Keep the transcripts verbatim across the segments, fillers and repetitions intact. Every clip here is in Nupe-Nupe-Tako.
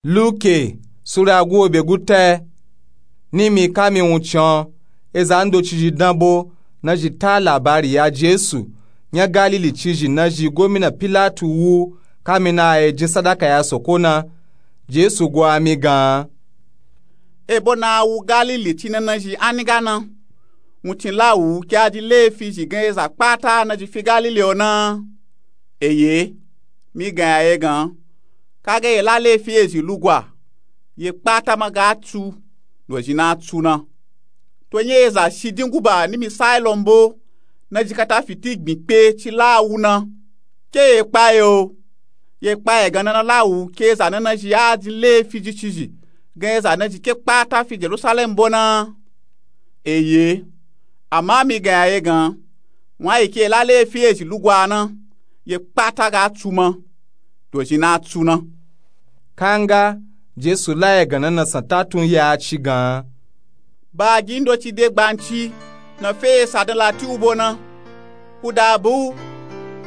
Luke sura guobe guta. Nimi kami wuncin o, eza ndoci zhi danbo na zhi ta labari ya Jesu nya Galili ci zhi na zhi gomina Pilatu wu kami na a yi jin sadaka ya soko na. Jesu gwa mi gan. Ebo na a wu Galili ci na na zhi a niga na, wuncin la wu ke a ji lefi zhi gan eza kpata na zhi fi Galili o na? Eye, mi gan ya ye gan, kaga ye la lefi ezhi lugwa, ye kpata ma ga tsu, dozhi na tsu na. To nya eza shidin guba nimi Sailon bo na zhi kata fiti gbin kpe ci la wu na? Ke ye kpa ye o? Ye kpa ye gan na na la wu ke eza na na zhi a ji lefi zhi ci zhi gan eza na zhi ke kpata fi Jerusalem bo na? Eye, ama mi gan ya ye gan, wun a yi ke ye la lefi ezhi lugwa na, ye kpata ga tsu ma, dozhi na tsu na. Kanga Jesu la ye gan na na san ta tun ya ci gan. Baagi ndoci de gbanci na fe ye sa dan lati u bo na. Kuda bu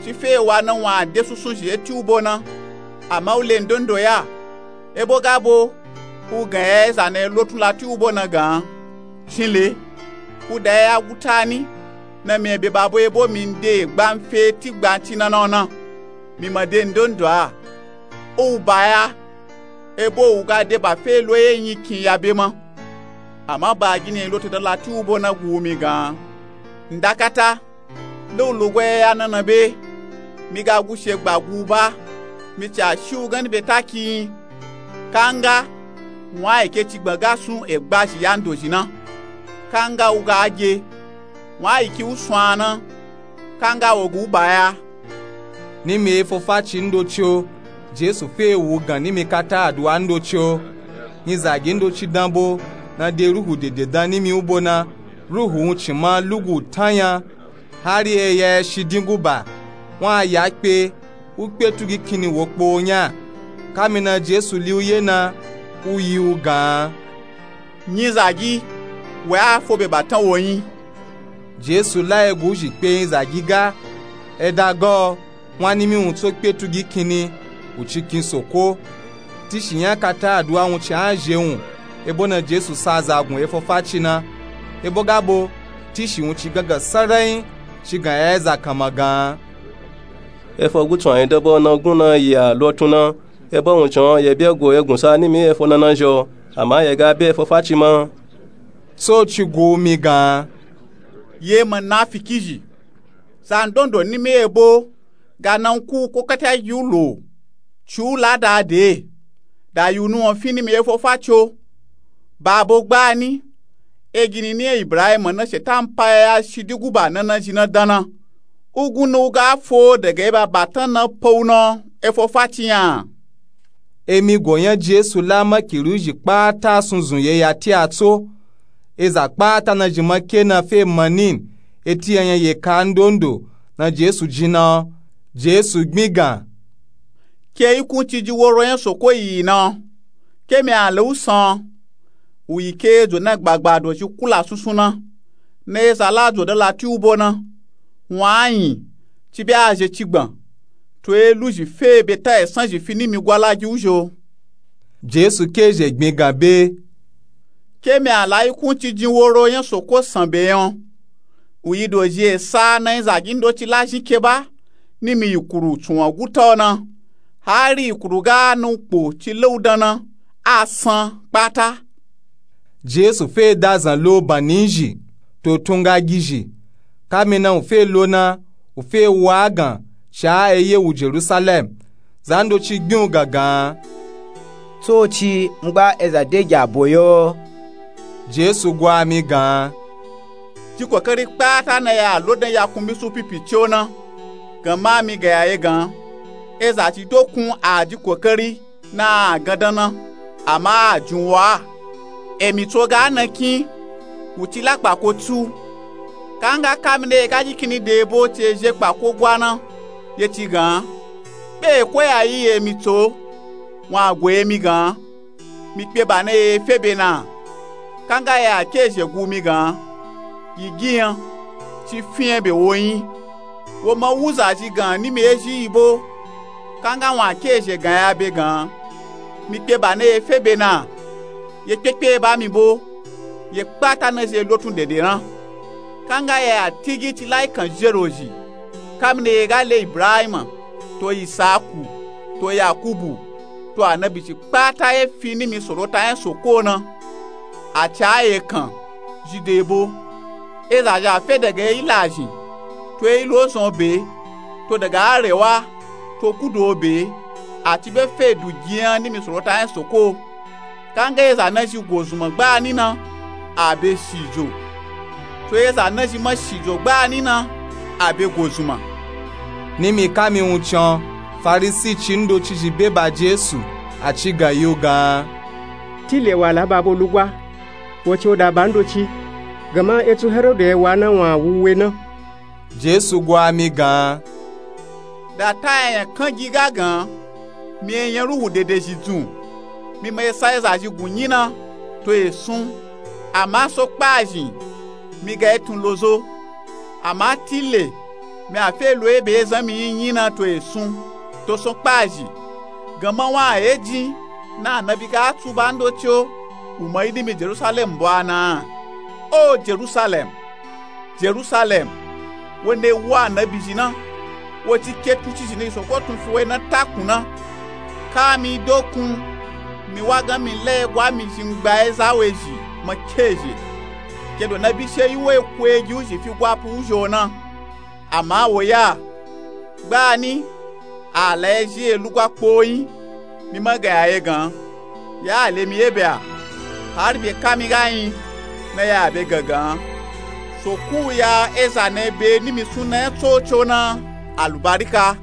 ci fe ye wa na wun a de sunsun zhi eti u bo na, ama u le ndondo ya. Ebo ga bo u gan ya eza na ye lotun lati u bo na gan, cinle, kuda ya gutani na mi e be ba bo ebo mi nde gbanfe ti gbanci na na o na, mi ma de ndondo a. U ba ya, ebo u ga de ba fe lo ye nyikin ya be ma. Ama baagi na ye lotu dan lati u bo na gu mi gan. Nda kata, nda u lugwa ya na na be, mi ga gushe gba gu ba, mi ca shi u ganni be taki. Kanga wun a yi ke ci gban ga sun egba zhi ya ndozhi na. Kanga u ga ge, wun a yi ki u sun a na. Kanga wo gu ba ya. Nimi efofaci ndoci o, Jesu fe wu gan nimi kata aduwa ndoci o. Nyizagi ndoci danbo na de ruhu dede dan nimi u bo na, ruhu wuncin ma lugu tanya, hari e ya ya shidin guba, wun a ya kpe, u kpe tugi kinni wo kpe o nya. Kami na Jesu li u ye na, u yi u gan. Nyizagi, we a fo be batan wo nyi? Jesu la ye gu zhi kpe nyizagi ga. E da ga o, wun a nimi wun tso kpe tugi kinni, u ci kin soko. Tishi nya kata aduwa wuncin a zhe wun, ebo na Jesu sa za gun efofaci na. Ebo ga bo, tishi wuncin gangan sarai ci gan ya eza kanma gan. Efo gutsun a yi danbo na gun na yi a lotun na. Ebo wuncin o ye be go ye gunsa nimi efo na na zhi o, ama ye ga be efofaci ma. Tsoci gu mi gan. Ye munafiki zhi, zandondo nimi ebo ga na nku ko kata gi u lo, ci u la da de, da yi u nuwun fi nimi efofaci o. Ba bo gbani, e gini ni Ibrahim na Shetan pa ya ya shidin guba na na zhi na dan na, u gun na u ga fo daga eba batan na pa u na efofaci nya? Emi go nya Jesu la makiri u zhi kpata sunzun ye ya ti a tso. Eza kpata na zhi ma ke na fe manin, eti ya nya ye ka ndondo na Jesu jin na o. Jesu gbin gan. Ke ikunci jin woro nya soko yi na o, ke mi a la u san o. U yi ke ejo na gbagba dozhi kula sunsun na, na eza la jo dan lati u bo na, wun a yin, ci be a zhe ci gban, to e lu zhi fe be ta esan zhi fi nimi gwa la gi u zhi o. Jesu ke zhe gbin gan be. Ke mi a la ikunci jin woro nya soko san be nya o. U yi dozhi esa na nyizagi ndoci la zhin ke ba, nimi yikuru tsunwan guta o na, hari yikuru ga na u kpo ci la u dan na, a san kpata. Jesu fe da zan lo bani zhi, to tun ga gi zhi. Kami na u fe lo na, u fe wa gan, sha e ye u Jerusalem. Zandoci gbin u gan gan. Tsoci, m gba eza de gi a bo yo. Jesu gwa mi gan. Ji kokari kpata na ya lo dan ya kun mi su pipici o na, gan ma mi gan ya ye gan. Eza ci dokun a ji kokari na a gan dan na, ama a jin wo a. Emi tso ga na kin, u ci la kpako tsu. Kanga kami na ye ga gi kinni de ebo ci e zhe kpako gwa na, ye ci gan, be e koya yi emi tso, wun a go emi gan. Mi kpe ba na ye fe be na. Kanga ya ke zhe gu mi gan, yi gi nya, ci fi nya be wo yin. Wo ma wu zazhi gan nimi ezhi yi bo, kanga wun a ke zhe gan ya be gan. Mi kpe ba na ye fe be na. Ye kpekpe ye ba mi bo. Ye kpata na zhi ye lotun dede na. Kanga ya ya tigi ci lai kan zhero zhi. Kamni ye ga le Ibrahima, to Isaku, to Yakubu, to anabi ci kpata ye fi nimi sorota nya soko na. A ca ye kan zhi de bo. Eza zhi a fe daga ye ilazhin, to ye ilozon be, to daga arewa, to kudo be, a ci be fe du giyan nimi sorota nya soko. Kanga eza na zhi gozunma gbani na, a be shijo. To eza na zhi ma shijo gbani na, a be gozunma. Nimi kami wuncin, Farisi ci ndoci zhi be ba Jesu, a ci gan yi u gan. Tile wa la ba bo lugwa, wo ci wo da ba ndoci, gama etsu Herodu ye wa na wun a wu we na. Jesu gwa mi gan. Da ta yanya kan gi ga gan, mi ye nya ruhu dede zhi dzun. Mi ma ye sa eza zhi gun nyina to ye sun. Ama so kpa zhin, mi ga ye tun lozo. Ama tile, mi a fe lo ye be ye zan mi nyi nyina to ye sun, to so kpa zhi. Gama wa a ye jin, na anabi ga tsu ba ndoci o, u ma yi nimi Jerusalem bo a na. O Jerusalem, Jerusalem, wo na yi wu anabi zhi na, wo ci ke tun ci zhi na zhi soko tun fi wo yi na takun na. Kami dokun, mi wa gan mi la ye gwa mi zhin gba ye za we zhi ma ke zhe. Ke do na bishe yi wo yi ku ye gi u zhi fi gwa pu u zhi o na. Ama wo ya, gbani, a la ye zhi ye lugwa kpo nyi, mi ma ga ya ye gan, ya le mi ye be a, hari be kami ga nyi, na ya be gangan. Soku ya eza na ye be nimi suna nya tsoco na alubarika.